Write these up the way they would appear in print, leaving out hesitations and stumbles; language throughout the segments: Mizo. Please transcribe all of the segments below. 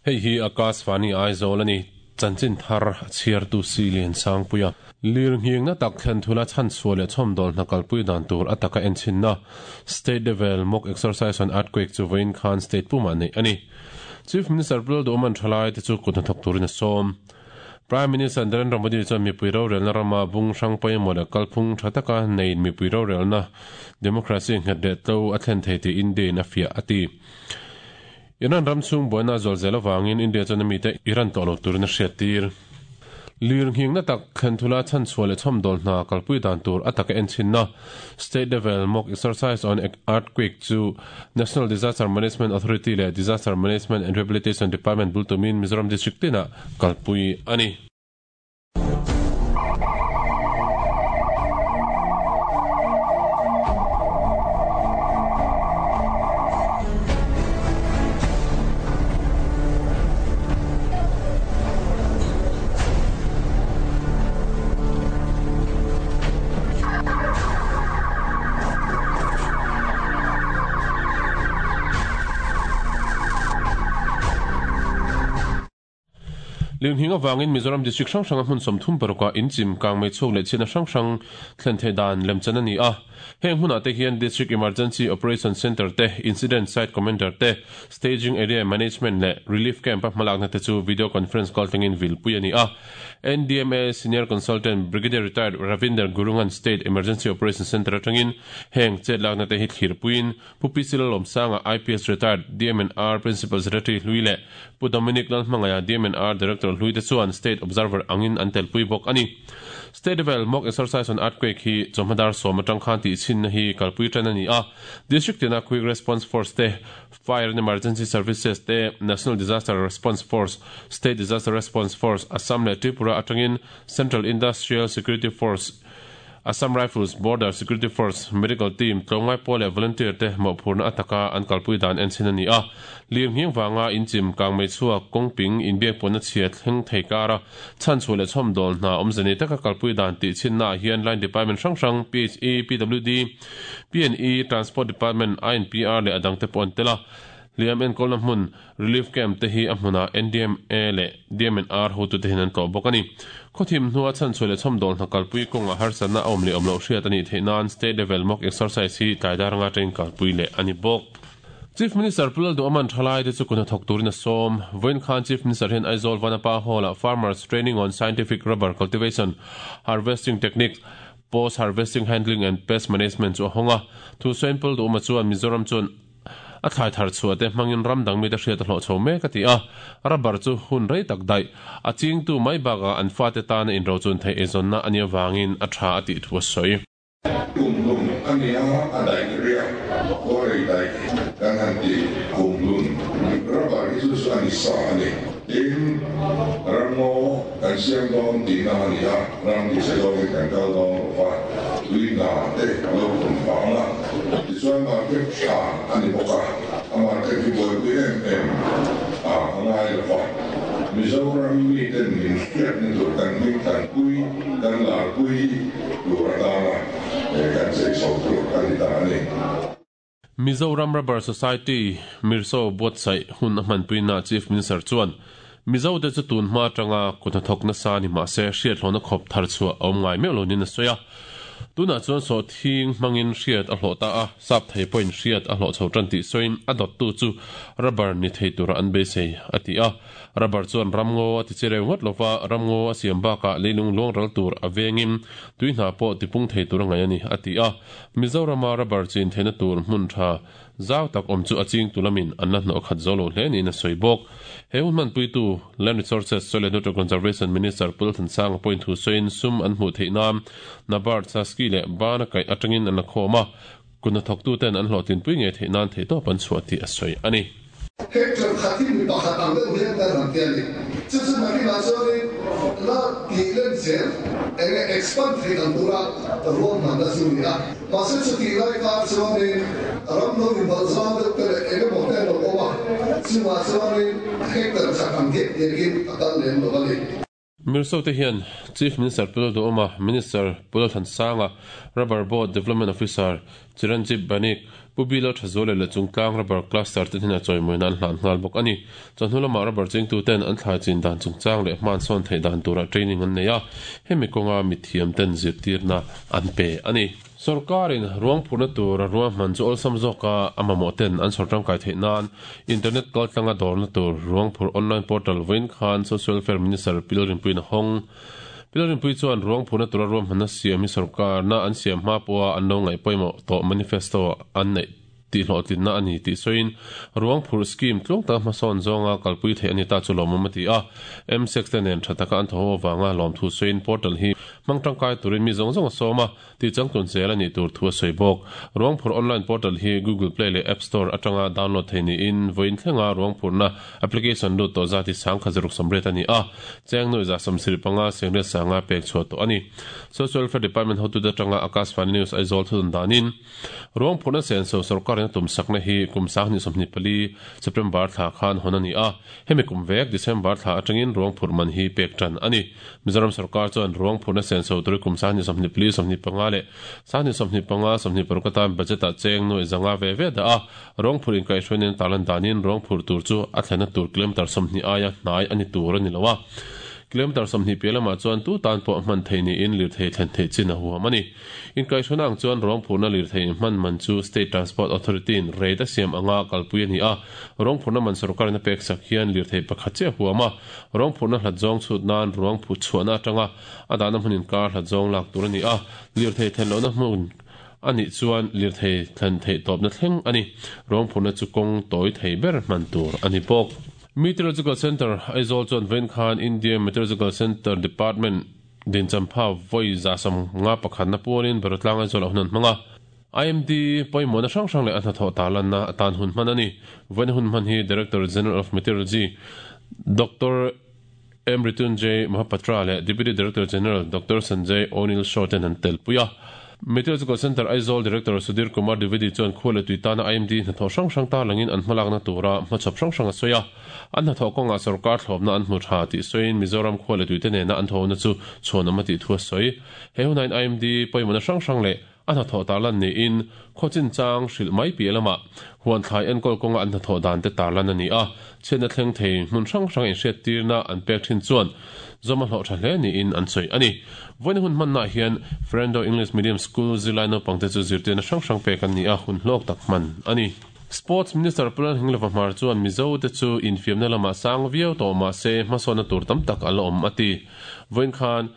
Hei hi Akashvani Aizawl a ni. Chanchin thar a chhiartu si Liansangpuia. Lirnghing na tak thlen thula chhanchhuah leh chhawmdawl hna kalpui dan tur a taka enchinna State Level Mock Exercise on Earthquake chu vawiin khan State pumah neih a ni. Chief Minister Pu Lalduhawman thalaite chu kut hnathawk turin a sawm. Prime Minister Narendra Modi chuan mipui rorelna rama bung hrang pawimawh leh kalphung tha taka neiin mipui rorelna democracy nghet leh tlo a thlen thei tih India-in a fiah a ti. Iran ram chhung buaina a zual zel avangin India chuan a mite Iran tawh lo turin a hriattir. Lirnghingna tak thlen thula chhanchhuah leh chhawmdawl hna kalpui dan tur a taka enchinna State Level Mock Exercise on Earthquake chu National Disaster Management Authority leh Disaster Management and Rehabilitation Department bul tumin Mizoram District tinah kalpui a ni. Lirnghing avangin Mizoram District hrang hranga hmun 36 ah inchim, kangmei chhuak leh chhiatna hrang hrang thlen theih dan lemchan a ni a. Heng hmunah te hian District Emergency Operation Centre te, Incident Site Commander te, Staging Area Management leh Relief Camp-a hmalakna te chu Video Conference call tlangin vilpui a ni a. NDMA Senior Consultant Brigadier Retired Ravinder Gurung-a'n State Emergency Operation Centre atangin heng chetlakna te hi thlirpuiin Pu PC Lalawmsanga IPS Retired DMNR Principal Secretary hlui leh Pu Dominic Lalhmangaia DMNR Director hlui te chuan State Observer angin an telpui bawk a ni. State level mock exercise on earthquake hi chawhma dar sawm atang khan tihchhinna hi kalpui tan a ni a. District tina Quick Response Force te, Fire and Emergency Services te, National Disaster Response Force, State Disaster Response Force, Assam leh Tripura atangin Central Industrial Security Force, Assam Rifles, Border Security Force, Medical Team, tlawmngai pawl leh volunteer te mawhphurna a taka an kalpui dan enchin a ni a. Lirnghing vanga inchim, kangmei chhuak, kawngping, inbiakpawhna chhia thleng thei kara chhanchhuah leh chhawmdawl hna awmze nei taka kalpui dan tih chhinnaah hian line department hrang hrang, PHE, PWD, PNE, Transport Department, INPR leh a dangte pawh an tel a. Hliam enkawlna hmun, Relief Camp te hi a hmunah NDMA leh DMNR hotute hian an tlawh bawk a ni. Khawthim hnua chhanchhuah leh chhawmdawl hna kalpui kawngah harsatna a awm leh awm loh hriat a nih theih nan State Level Mock Exercise hi tlai dar anga atangin kalpui leh a ni bawk. Chief Minister Pu Lalduhawman thalaite chu kun hnathawk turin a sawm. Vawiin khan Chief Minister hian Aizawl Vanapa Hall-ah Farmers Training on Scientific Rubber Cultivation, Harvesting Techniques, Post Harvesting Handling and Pest Management chu a hawng a. Thusawiin Pu Lalduhawma chuan Mizoram chuan a thlai thar chhuah te hmangin ram dang mite hriat a hlawh chho mek a ti a. Rubber chu hun rei tak daih. A chingtu mai bakah an fate tana inrochun theih eizawnna a nih avangin a tha a tih thu a sawi. Kum hlun a ni a, a daih riak khuarei daih kan han ti kum hlun. Rubber hi chu chu a ni sa a ni. Tin, ramngaw kan siam dawn tihna a ni a, ram tise zawngin kan kal dawn lo va, tui hna te a lo tum vang a, tichuan market tha a ni bawk a, a market hi buaipui em em a a ngai lo va, Mizoram miten min hriatna tur kan hming tlanpui, kan larpui tur atana kan chei chho tur a ni ta a ni. Mizoram Rubber Society, Mirso buatsaih hun a hmanpuina Chief Minister chuan, Mizote chu tun hma atanga kut hnathawk nasa ni mah se hriathlawhna khawp thar chhuah a awm ngai meuh lo niin a sawi a. Tunah chuan sawhthing hmangin hriat a hlawh ta a, sap thei pawhin hriat a hlawh chho tan tih sawiin a dawttu chu rubber ni thei tura an beisei a ti a. Rubber chuan ramngaw a ti che reu ngawt lova, ramngaw a siam bakah leilung luang ral tur a vengin tui hna pawh tipung thei tur a ngaih a ni a ti a. Mizorama rubber chin theihna tur hmun tha zau tak awm chu a chingtu lamin an la hnawh khat zo lo hle niin a sawi bawk. He hun hmanpuitu Land Resources, Soil and Water Conservation Minister Pu Lalthansanga pawhin thu sawiin sum an hmuh theih nan NABARD, Saski leh Bana kaih atangin an la khawm a, kut hnathawktuten an hlawhtlinpui ngei theih nan theihtawp an chhuah tih a sawi a ni. Hectare khat hi mi pakhat ang deuh hian kan han ti a ni. Chu chu nakinah chuanin la tih lem zel eng nge expand theih ang tura ruahmanna chu ni a. Mahse chutih lai kar chuanin ram lo inbalh zau deuh te leh eng emaw te an lo awm a, chungah chuanin hectare khat ang diak diakin a kal lem lo a ni. Mirso te hian Chief Minister Pu Lalduhoma, Minister Pu Lalthansanga, Rubber Board Development Officer Chiranjib Banik, Pu Bilo Thazuala leh Chungtlang Rubber Cluster te hnenah chawimawina an hlan nghal bawk a ni. Chawhnu lamah rubber chingtuten an thlai chin dan chungchang leh hman sawn theih dan turah training an nei a, hemi kawnga mithiam ten zirtirna an pe a ni. Sorkarin ruang phurhna tur a ruahman chu awlsam zawka a mamawh ten an sawr tangkai theih nan internet kaltlanga dawrna tur ruang phurh online portal vawiin khan Social Welfare Minister Pi Lalrinpuiin a hawng. Pi Lalrinpui chuan ruang phurhna tura ruahmanna siam hi sorkarna an siam hma pawha an lo ngaih pawimawh tawh manifesto an neih tihhlawhtlinna a ni tih sawiin ruang phurh scheme tluang taka hmasawn zawnga kalpui theih a ni ta chu lawmawm a ti a. MSEC te nen tha taka an thaw ho avanga lawmthu sawiin portal hi hmang tangkai turin mi zawng zawng a sawm a. Tih changtlun zel a nih tur thu a sawi bawk. Ruangphurh online portal hi Google Play leh App Store atanga download thei niin vawiin thlenga ruangphurhna application lut tawh zat hi 10,680 a ni a, cheng nuih 175 sengriat sanga pek chhuah tawh a ni. Social Welfare Department hotute atanga Akashvani News Aizawl thudun danin ruangphurhna senso sorkarin a tumsakna hi kum 2024 September thla khan hawn a ni a, hemi kum vek December thla atangin ruangphurh man hi pek tan a ni. Mizoram sorkar chuan ruang phurhna senso turi kum 2024, 25 leh 2025, 26 atan budget-ah cheng nuaih zanga ve ve dah a, ruang phurh inkaihhruaina tarlan danin ruang phurh tur chu a thlenna tur kilometre 20 aia hnai a ni tur a ni lo a. Kilometre 20 piah lamah chuan tu tan pawh hman thei niin lirthei thlen theih chin a huam a ni. Inkaihhruaina ang chuan ruang phurhna lirthei hman man chu State Transport Authority-in rate a siam anga kalpui a ni a, ruang phurhna man sorkarin a peksak hian lirthei pakhat chiah a huam a. Ruang phurhna hlat zawng chhut nan ruang phut chhuahna atanga a dahna hmun inkar hlat zawng lak tur a ni a, lirthei thlen lohna hmun a nih chuan lirthei thlen theih tawpna thleng a ni. Ruang phurhna chu kawng tawi thei ber hman tur a ni bawk. Meteorological Centre, Aizawl chuan vawiin khan India Meteorological Centre Department dinchampha vawi 151na pualin Barotlang Aizawl ah hun an hmang a. IMD pawimawhna hrang hrang leh a hnathawh tarlanna atan hun hman a ni. Vawiina hun hman hi Director General of Meteorology Doctor M Ritunjay Mohapatra leh Deputy Director General Doctor Sanjay O'Neil Shaw ten an telpui a. Meteorological Centre Aizawl Director Sudhir Kumar Dwivedi chuan khua leh tui tana IMD hnathawh hrang hrang tarlangin an hmalakna tura hmachhawp hrang hrang a sawi a. An hnathawh kawngah sorkar thlawpna an hmu tha tih sawiin Mizoram khua leh tuite nena an thawhna chu chhuanawm a tih thu a sawi. He hunain IMD pawimawhna hrang hrang leh A hnathawh tarlan niin khaw chinchang hrilh mai piah lamah huan thlai enkawl kawnga an hnathawh dan te tarlan a ni a, chhiatna thleng thei hmun hrang hrang inhriattirna an pek thin chuan zawm a hlawh tha hle niin an sawi a ni. Vawiina hun hmannaah hian Ferendo English Medium School zirlai naupangte chu zirtirna hrang hrang pek an ni a, hun hlawk tak hman a ni. Sports Minister Pu Lalhinglova Hmar chuan Mizo te chu infiamna lamah sang viau tawh mah se hmasawnna tur tam tak a la awm a ti. Vawiin khan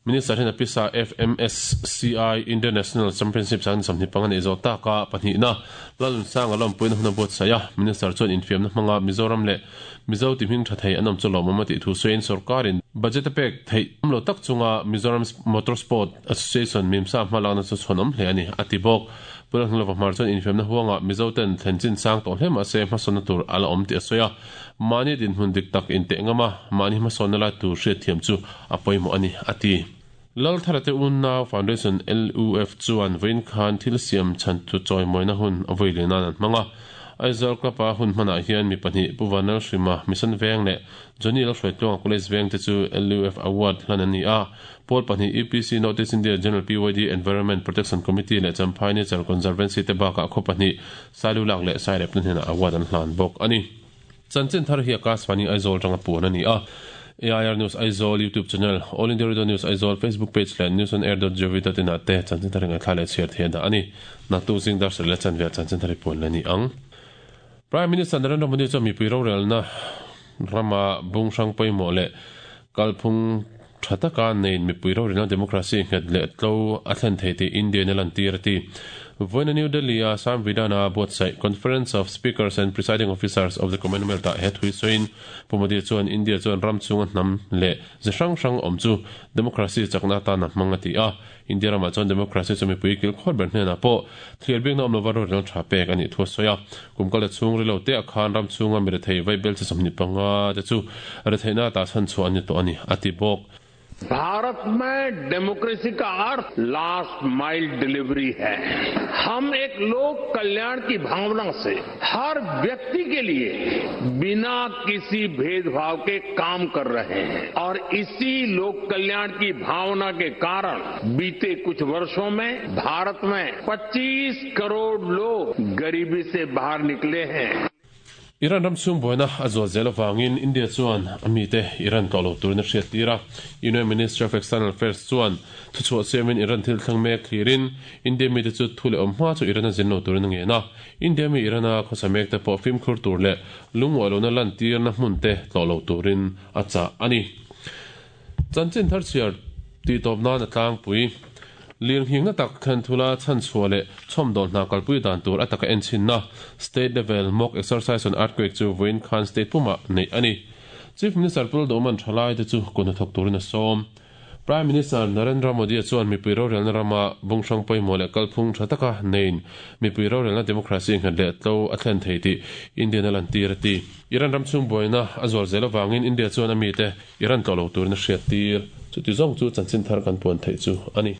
Minister hian a pisa FMSCI International Championship 25 a neih zawh tak a, pahnihna Lalnunsanga lawmpuina hun a buatsaih a. Minister chuan infiamna hmanga Mizoram leh Mizo ti hming tha thei an awm chu lawmawm a tih thu sawiin sorkarin budget a pek theih awm lo tak chunga Mizoram Motorsport Association Mimsa hmalakna chu chhuanawm hle a ni, a ti bawk. Pu Lalhnulova Hmar chuan infiamna huangah Mizo ten thlen chin sang tawh hle mahse hmasawnna tur a la awm tih a sawi a. Mahni dinhmun dik tak inteh ngam a, mahni hmasawnna lai tur hriatthiam chu a pawimawh a ni, a ti. Laltharate Unnau Foundation, LUF, chuan vawiin khan thil siam chhan chu chawimawina hun a vawi leh nan an hmang a. Aizawl Club-a hun hmanah hian mi pahnih, Pu Vanlalhrima, Mission Veng leh Johnny Lalhruaitluanga College Veng te chu LUF Award hlan an ni a. Pawl pahnih, UPC North East India General PYD Environment Protection Committee leh Champhai Nature Conservancy te bakah khaw pahnih, Sailulak leh Sairepna hnenah award an hlan bawk a ni. Chanchin thar hi Akashvani Aizawl atanga puan a ni a. AIR News Aizawl YouTube channel, All India Radio News Aizawl Facebook page leh newsonair.gov.in ah te chanchin thar hi ngaihthla leh chhiar thei a dah a ni. Naktuk zing dar sarih leh chanve ah chanchin thar hi puan la ni ang. Prime Minister Narendra Modi chuan mipui rorelna rama bung hrang pawimawh leh kalphung tha taka neiin mipui rorelna democracy nghet leh tlo a thlen thei tih India-in a lantir a ti. Vawiina New Delhi-a Samvidana buatsaih Conference of Speakers and Presiding Officers of the Commonwealth-ah he thu hi sawiin Pu Modi chuan India chuan ram chhunga hnam leh ze hrang hrang awm chu democracy chakna atan a hmang a ti a. India ramah chuan democracy chu mipui kilkhawr ber hnenah pawh thlir bikna awm lova rorel tha pek a nih thu a sawi a. Kum kal chhung rilo te ah khan ram chhunga mi rethei vaibel chi 25 te chu retheihna atah chhan chhuah an ni tawh a ni, a ti bawk. Bharat में डेमोक्रेसी का अर्थ last mile delivery है। हम एक लोक कल्याण की भावना से हर व्यक्ति के लिए बिना किसी भेदभाव के काम कर रहे हैं और इसी लोक कल्याण की भावना के कारण बीते कुछ वर्षों में भारत में 25 करोड़ लोग गरीबी से बाहर निकले हैं। Iran ram chhung buaina a zual zel avangin India chuan a mite Iran tlawh lo turin a hriat tir a. Union Ministry of External Affairs chuan thuchhuah siamin Iran thil thleng mek thlirin India mite chu thu leh awm hma chu Iran a zin lo turin a ngen a. India mi Iran a khawsa mek te pawh fimkhur tur leh lungawih lohna lantirna hmun te tlawh lo turin a chah a ni. Chanchin thar chhiar tih tawp nan a tlangpui. Lirnghingna tak thlen thula chhanchhuah leh chhawmdawl hna kalpui dan tur a taka enchinna State Level Mock Exercise on Earthquake chu vawiin khan state pumah neih a ni. Chief Minister Pu Lalduhman thalaite chu kut hnathawk turin a sawm. Prime Minister Narendra Modi-a chuan mipui rorelna rama bung hrang pawimawh leh kalphung tha taka neiin mipui rorelna democracy nghet leh tlo a thlen thei tih Indian a lantir a ti. Iran ram chhung buaina a zual zel avangin India chuan a mite Iran tlawh lo turin a hriattir. Chuti zawng chu chanchin thar kan puan theih chu a ni.